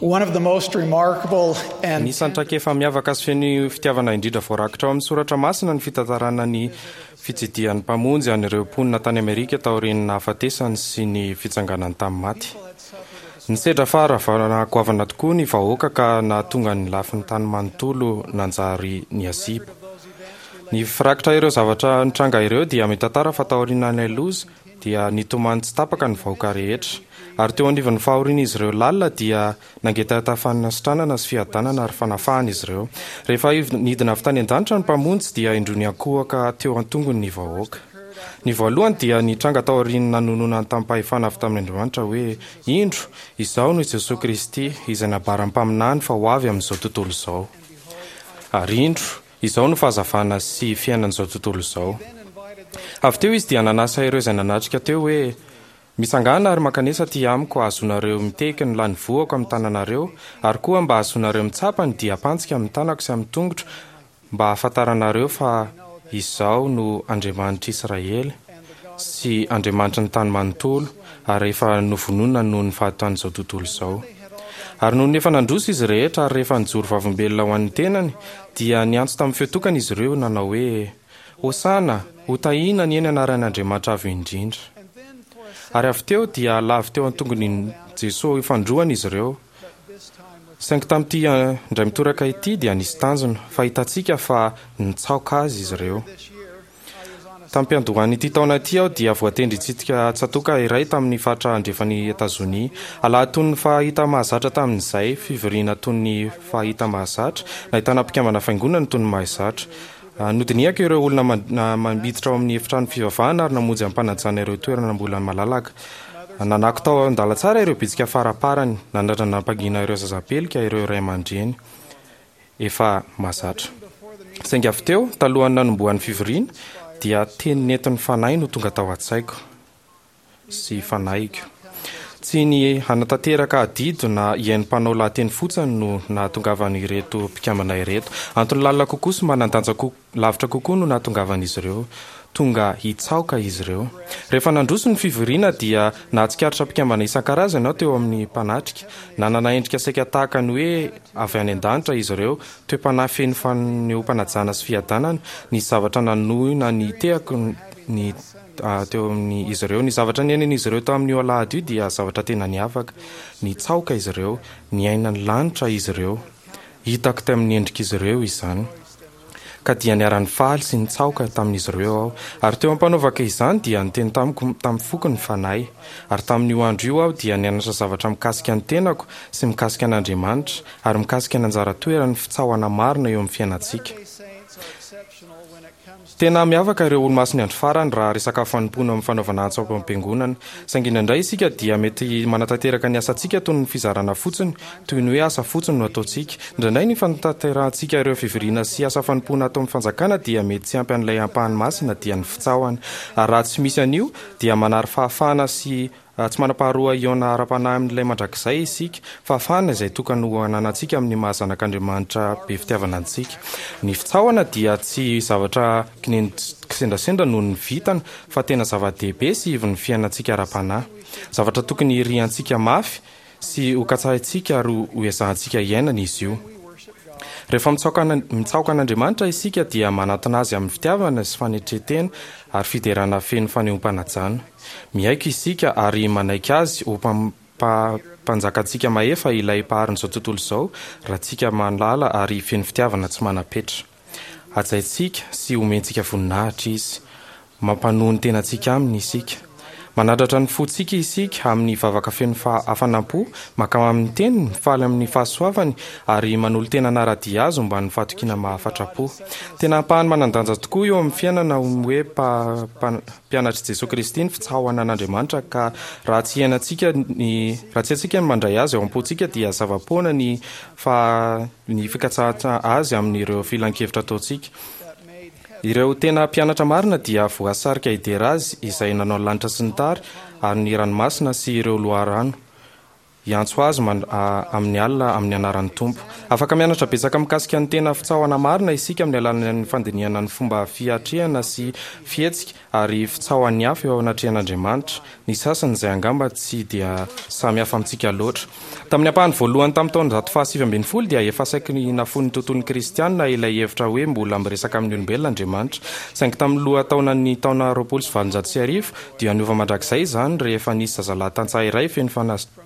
One of the most remarkable and Anisan'ny traikefa miavaka sy feno fitiavana indrindra voarakitra ao amin'ny soratra masina ny fitantarana ny fitsidihan'ny Mpamonjy an'ireo mponina tany Amerika taorian'ny nahafatesany sy ny fitsanganany tamin'ny maty. Nisedra faharavana goavana tokoa ny vahoaka ka nahatonga ny lafiny tany manontolo nanjary niasiba. Ny firakitra ireo zavatra nitranga ireo dia mitantara fa taorian'ilay loza dia nitomany tsy tapaka ny vahoaka rehetra. Ary teo anivon'ny fahorian'izy ireo lalina dia nangetaheta fanasitranana sy fiadanana ary fanafahana izy ireo. Rehefa nidina avy tany an-danitra ny Mpamonjy dia indroa niankohoka teo an-tongony ny vahoaka. Ny voalohany dia nitranga taorian'ny nanononany tamim-pahefana avy tamin' Andriamanitra hoe, Indro, Izaho no i Jesoa Kristy, izay nambaran'ny mpaminany fa ho avy amin'izao tontolo izao. Ary indro, Izao no fahazavana sy fiainan'izao tontolo izao. Avy teo izy dia nanasa ireo izay nanatrika teo hoe, Mitsangàna ary mankanesa aty amiko hahazoanareo mitehiky ny lanivohako amin'ny tananareo, ary koa mba hahazoanareo mitsapa ny diam-pantsika amin'ny tanako sy amin'ny tongotro, mba hahafantaranareo fa Izaho no Andriamanitr'Israely sy Andriamanitry ny tany manontolo, ary efa novonoina noho ny fahatan'izao tontolo izao. Ary nony efa nandroso izy rehetra ary rehefa nijoro vavolombelona ho an'ny tenany, dia niantso tamin'ny feo tokana izy ireo, nanao hoe, Hosana! Hotahiana anie ny anaran' Andriamanitra Avo Indrindra! Ary avy teo dia lavo teo an-tongon'i Jesoa ifandroana izy ireo. Saingy tamin'ity indray mitoraka ity dia nisy tanjona, fa hitantsika fa nitsaoka Azy izy ireo. Tam-piandohan'ity taona ity aho dia voatendry hitsidika tsatòka iray tamin'ny faritra andrefan'i Etazonia. Alahady toy ny fahita mahazatra tamin'izay, fivoriana toy ny fahita mahazatra, nahitana mpikambana fiangonana toy ny mahazatra. Nodinihako ireo olona miditra ao amin'ny efitrano fivavahana ary namonjy am-panajana ireo toerana mbola malalaka. Nanako tao an-dalantsara ireo bitsika faraparany, nanandrana nampangina ireo zazapelika ireo ray aman-dreny. efa mahazatra. Saingy avy teo, talohan'ny nanombohan'ny fivoriana, dia teny nentin'ny Fanahy no tonga tao an-tsaiko sy fanahiko. Tsy ny hanatanteraka adidy na hihaino mpanao lahateny fotsiny no nahatongavan'ireto mpikambana ireto. Antony lalina kokoa sy manan-danja Lavitra kokoa no nahatongavan'izy ireo. Tonga hitsaoka izy ireo. Rehefa nandroso ny fivoriana dia nahatsikaritra mpikambana isan-karazany aho teo amin'ny mpanatrika. Nanana endrika saika tahaka ny hoe avy any an-danitra izy ireo, toe-panahy feno fanehoam-panajana sy fiadanana. Nisy zavatra nanohina ny tehako ny teo amin'izy ireo. Ny zavatra niainan'izy ireo tamin'io alahady io dia zavatra tena niavaka. Nitsaoka izy ireo. Niaina ny lanitra izy ireo. Hitako tamin'ny endrik'izy ireo izany. Ka dia niara-nifaly sy nitsaoka tamin'izy ireo aho. Ary teo am-panaovako izany dia niteny tamiko tamin'ny foko ny Fanahy. Ary tamin'io andro io aho dia nianatra zavatra mikasika ny tenako sy mikasika an'Andriamanitra ary mikasika ny anjara toeran'ny fitsaohana marina eo amin'ny fiainantsika. Tena miavaka ireo Olomasin'ny Andro Farany raha resaka fanompoana amin'ny fanaovana antso ao am-piangonana. Saingy indraindray isika dia mety manatanteraka ny asantsika toy ny fizarana fotsiny, toy ny hoe asa fotsiny no ataontsika. Indraindray ny fanatanterahantsika ireo fivoriana sy asa fanompoana ato amin'ny fanjakana dia mety tsy ampy an'ilay ampahany masina dia ny fitsaohana. Ary raha tsy misy an'io dia manary fahafahana sy Tsy manam-paharoa hihaona ara-panahy amin'Ilay Mandrakizay isika, fahafahana izay tokany ho ananantsika amin'ny maha zanak'Andriamanitra be fitiavana antsika. Ny fitsaohana dia tsy zavatra kisendrasendra noho ny vintana, fa tena zava-dehibe sy ivon'ny fiainantsika ara-panahy. Zavatra tokony hiriantsika mafy sy hokatsahintsika ary hoezahantsika hiainana izy io. Rehefa mitsaoka an'Andriamanitra isika dia manatona Azy amin'ny fitiavana sy fanetren-tena ary fiderana feno fanehoam-panajana. Miaiky isika ary manaiky Azy ho Mpanjakantsika mahefa, ilay Mpaharin'izao tontolo izao, Raintsika malala ary feno fitiavana tsy manam-petra. Hajaintsika sy omentsika voninahitra Izy. Mampanoa ny tenantsika Aminy isika. Manandratra ny fontsika isika amin'ny vavaka feno hafanam-po, mankamamy ny Teniny, mifaly amin'ny fahasoavany, ary manolo-tena hanara-dia Azy omban'ny fahatokiana mahafatra-po. Tena ampahany manan-danja tokoa eo amin'ny fiainana ny hoe mpianatr'i Jesoa Kristy ny fitsaohana an'Andriamanitra ka raha tsy iainantsika ny raha tsy haintsika ny mandray Azy ao am-pontsika dia zava-poana ny fa ny fikatsahana Azy amin'ireo filan-kevitra ataontsika. Ireo tena mpianatra marina dia voasarika hidera Azy izay nanao ny lanitra sy ny tary ary ny ranomasina sy ireo loharano. Hiantso azy amin'ny alina amin'ny anaran'ny Tompo. Afaka mianatra betsaka mikasika ny tena fitsaohana marina isika amin'ny alalan'ny fandinihana ny fomba fiatrehana sy fihetsika ary fitsaohan'ny hafa eo anatrehan'Andriamanitra, ny sasany izay angamba tsy dia samy hafa amintsika loatra. Tamin'ny ampahany voalohany tamin'ny taonjato faha-19 dia efa saiky nafoin'ny tontolon'ny Kristianina ilay hevitra hoe mbola miresaka amin'ny olombelona Andriamanitra. Saingy tamin'ny lohataonan'ny taona 1820, Dia niova mandrakizay izany rehefa nisy zazalahy tantsaha iray feno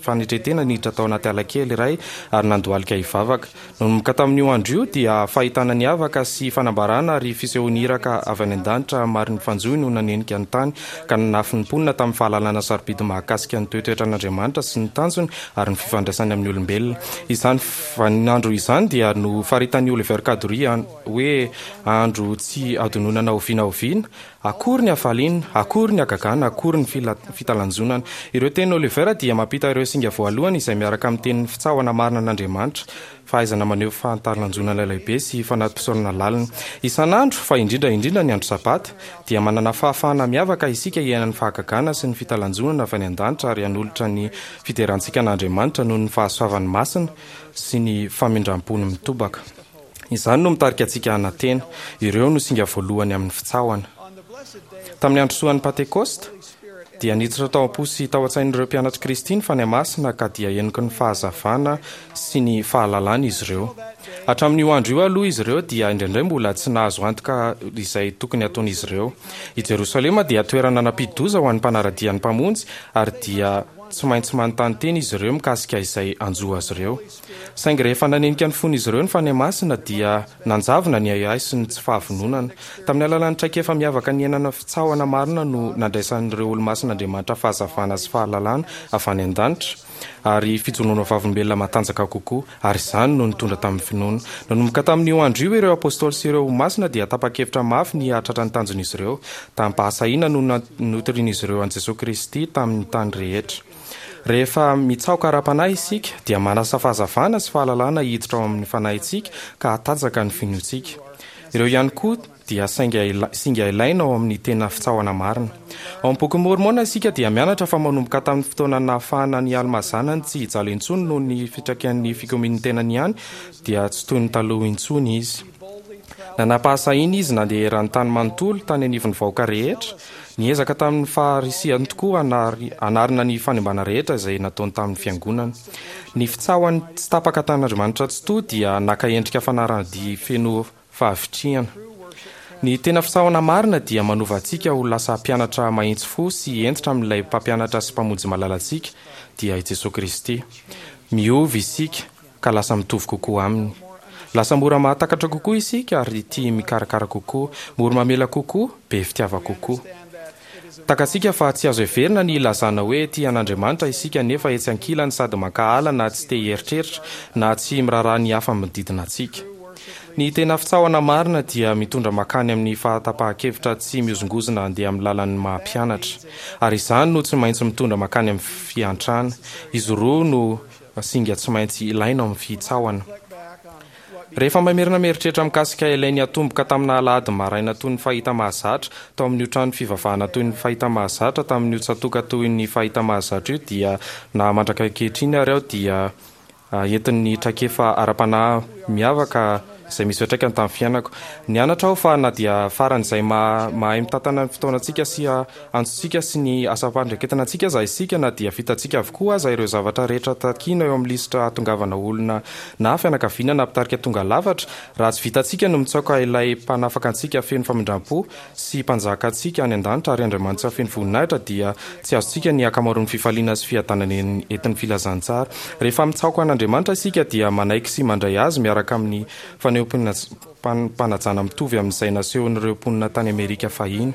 fanetren-tena niditra tao anaty ala kely iray ary nandohalika hivavaka. Nanomboka tamin'io andro io dia fahitana niavaka sy fanambarana ary fisehoan'ny iraka avy any an-danitra marin'ny fanjohy no nanenika ny tany ka nanafy ny mponina tamin'ny fahalalana sarobidy mahakasika ny toetoetran'Andriamanitra sy ny tanjony ary ny fifandraisany amin'ny olombelona. Izany vaninandro izany dia nofaritan'i Oliver Cowdery hoe andro tsy hadinoina na oviana oviana Akory ny hafaliana, akory ny hagagana, akory ny fitalanjonana. Ireo tenin'i Oliver dia mampita ireo singa voalohany izay miaraka amin'ny tenin'ny fitsaohana marina an'Andriamanitra, fahaizana maneho fahatalanjonana lehibe sy fanati-pisaorana lalina. Isan'andro, fa indrindra indrindra ny andro Sabata, dia manana fahafahana miavaka isika hiaina ny fahagagana sy ny fitalanjonana avy any an-danitra ary hanolotra ny fiderantsika an'Andriamanitra noho ny fahasoavany masina sy ny famindram-pony mitobaka. Izany no mitarika antsika hanantena. Ireo no singa voalohany amin'ny fitsaohana. Tamin'ny andro soan'ny Pantekosta, dia niditra tao am-po sy tao an-tsain'ireo mpianatr'i Kristy ny Fanahy Masina ka dia heniky ny fahazavana sy ny fahalalana izy ireo. Hatramin'io andro io aloha izy ireo dia indraindray mbola tsy nahazo antoka izay tokony hataon'izy ireo. I Jerosalema dia toerana nampidi-doza ho an'ny mpanara-dia ny Mpamonjy ary dia tsy maintsy manontany tena izy ireo mikasika izay hanjo azy ireo. Saingy rehefa nanenika ny fon'izy ireo ny Fanahy Masina dia nanjavona ny ahiahy sy ny tsy fahavononana. Tamin'ny alalan'ny traikefa miavaka niainana fitsaohana marina no nandraisan'ireo olomasin'Andriamanitra fahazavana sy fahalalana avy any an-danitra ary fijoroana vavolombelona matanjaka kokoa, ary izany no nitondra tamin'ny finoana. Nanomboka tamin'io andro io ireo Apôstôly sy ireo Olomasina dia tapa-kevitra mafy ny hahatratra ny tanjon'izy ireo. Tamim-pahasahiana no notorian'izy ireo an'i Jesoa Kristy tamin'ny tany rehetra. Rehefa mitsaoka ara-panahy isika, dia manasa fahazavana sy fahalalana hiditra ao amin'ny fanahintsika ka hatanjaka ny finoantsika. Ireo ihany koa dia sainga singa ilaina ao amin'ny tena fitsaohana marina. Ao amin'ny Bokin'i Môrmôna isika dia mianatra fa manomboka tamin'ny fotoana nahafahana an'i Almà zanany tsy hijaly intsony noho ny fitrakian'ny fikomian'ny tenany ihany dia tsy toy ny taloha intsony izy. Nanam-pahasahiana izy nandeha eran'ny tany manontolo tany anivon'ny vahoaka rehetra, Niezaka tamin'ny faharisihany tokoa hanarina ny fanimbana rehetra izay nataony tamin'ny fiangonana. Ny fitsaohany tsy tapaka tamin'Andriamanitra Tsitoha dia naka endrika fanarahan-dia feno fahavitrihana. Ny tena fitsaohana marina dia manova antsika ho lasa mpianatra mahitsy fo sy hentitra amin'ilay Mpampianatra sy Mpamonjy malalantsika, dia i Jesoa Kristy. Miova isika ka lasa mitovy kokoa aminy. Lasa mora mahatakatra kokoa isika ary tia mikarakara kokoa, mora mamela kokoa, be fitiava kokoa. Takatsika fa tsy azo heverina ny hilazana hoe tia an'Andriamanitra isika nefa etsy ankilany sady mankahala na tsy te hieritreritra na tsy miraharaha ny hafa manodidina antsika. Ny tena fitsaohana marina dia mitondra mankany amin'ny fahatapahan-kevitra tsy mihozongozona handeha amin'ny lalan'ny maha mpianatra. Ary izany no tsy maintsy mitondra mankany amin'ny fiantrana. Izy roa no Singa tsy maintsy ilaina ao amin'ny fitsaohana. Rehefa mamerina mieritreritra mikasika ilay niatomboka tamina alahady maraina toy ny fahita mahazatra tao amin'io trano fivavahana toy ny fahita mahazatra tamin'io tsatoka toy ny fahita mahazatra io dia na mandraka ankehitriny ary aho dia entin'ny traikefa ara-panahy miavaka izay misy fiantraikany tamin'ny fiainako. Nianatra aho fa na dia faran'izay mahay mitantana ny fotoanantsika sy antsontsika sy ny asam-pandraiketana antsika aza isika, na dia vitantsika avokoa aza ireo zavatra rehetra takiana eo amin'ny lisitra hahatongavana olona na fianakaviana na mpitarika tonga lafatra, raha tsy vitantsika ny mitsaoka ilay Mpanafaka antsika feno famindram-po sy Mpanjaka antsika any an-danitra ary Andriamanitra feno voninahitra dia tsy azontsika ny ankamaroan'ny fifaliana sy fiadanana entin'ny filazantsara. Rehefa mitsaoka an'Andriamanitra isika dia manaiky sy mandray Azy miaraka amin'ny fanehoam-panajana mitovy amin'izay nasehon'ireo mponina tany Amerika fahiny.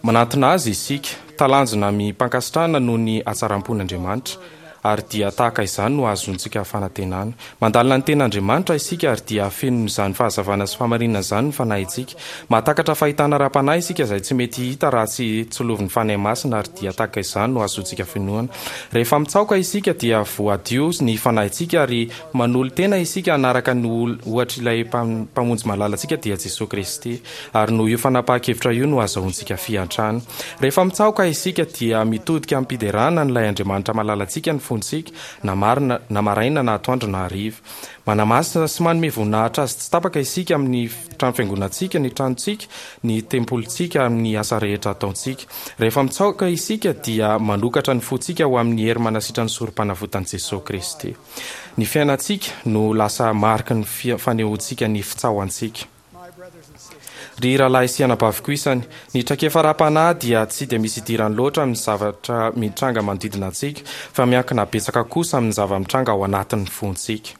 Manantona Azy isika, talanjona amim-pankasitrahana noho ny hatsaram-pon'Andriamanitra, ary dia tahaka izany no ahazoantsika fanantenana. Mandalina ny Tenin'Andriamanitra isika ary dia fenon'izany fahazavana sy fahamarinana izany ny fanahintsika. Mahatakatra fahitana ara-panahy isika izay tsy mety hita raha tsy tsilovin'ny Fanahy Masina ary dia tahaka izany no ahazoantsika finoana. Rehefa mitsaoka isika dia voadio ny fanahintsika ary manolo-tena isika hanaraka ny ohatr'ilay Mpamonjy malalantsika dia Jesoa Kristy. Ary noho io fanapahan-kevitra io no azahoantsika fiantrana. Rehefa mitsaoka isika dia mitodika amim-piderana an'ilay Andriamanitra malalantsika ny. fontsika, na marina, na maraina na atoandro na hariva. Manamasina sy manome voninahitra Azy tsy tapaka isika amin'ny trano fiangonantsika, ny tranontsika, ny tempolintsika, amin'ny asa rehetra ataontsika. Rehefa mitsaoka isika dia manokatra ny fontsika ho amin'ny hery manasitran'ny Sorompanavotan'i Jesoa Kristy. Ny fiainantsika no lasa mariky ny fanehoantsika ny fitsaohantsika. Ry rahalahy sy anabaviko isany, ny traikefa ara-panahy dia tsy dia misy idirany loatra amin'ny zavatra mitranga manodidina antsika, fa miankina betsaka kosa amin'ny zava-mitranga ao anatin'ny fontsika.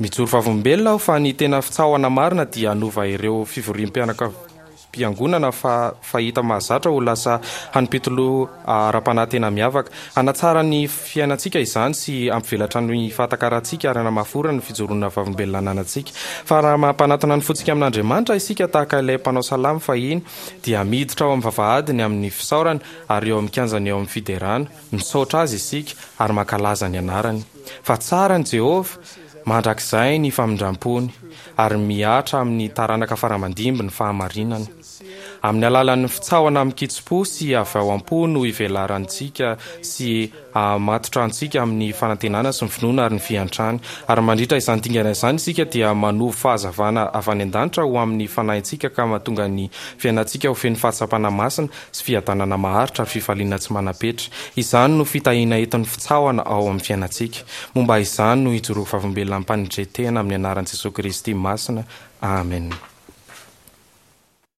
Mijoro vavolombelona aho fa ny tena fitsaohana marina dia hanova ireo fivoriam-pianakaviam-piangonana fa fahita mahazatra ho lasa hanim-pitoloha ara-panahy tena miavaka. Hanatsara ny fiainantsika izany sy hampivelatra ny fahatakarantsika ary hanamafy orina ny fijoroana vavolombelona ananantsika. Fa raha mampanatona ny fontsika amin'Andriamanitra isika tahaka ilay mpanao salamo fahiny, dia miditra ao amin'ny vavahadiny amin'ny fisaorana ary eo amin'ny kianjany eo amin'ny fiderana. Misaotra Azy isika ary mankalaza ny anarany. Fa tsara ny Jehovah, mandrakizay ny famindram-pony, ary mihatra amin'ny taranaka fara-mandimby ny fahamarinany. Amin'ny alalan'ny fitsaohana amin-kitsim-po sy avy ao am-po no ivelarantsika sy ahamatotra antsika amin'ny fanantenana sy ny finoana ary ny fiantrana. Ary mandritra izany dingana izany isika dia manovo fahazavana avy any an-danitra ho amin'ny fanahintsika ka mahatonga ny fiainantsika ho feno fahatsapana masina sy fiadanana maharitra ary fifaliana tsy manam-petra. Izany no fitahiana entin'ny fitsaohana ao amin'ny fiainantsika. Momba izany no ijoroako vavolombelona am-panetren-tena amin'ny anaran'i Jesoa Kristy masina. Amen.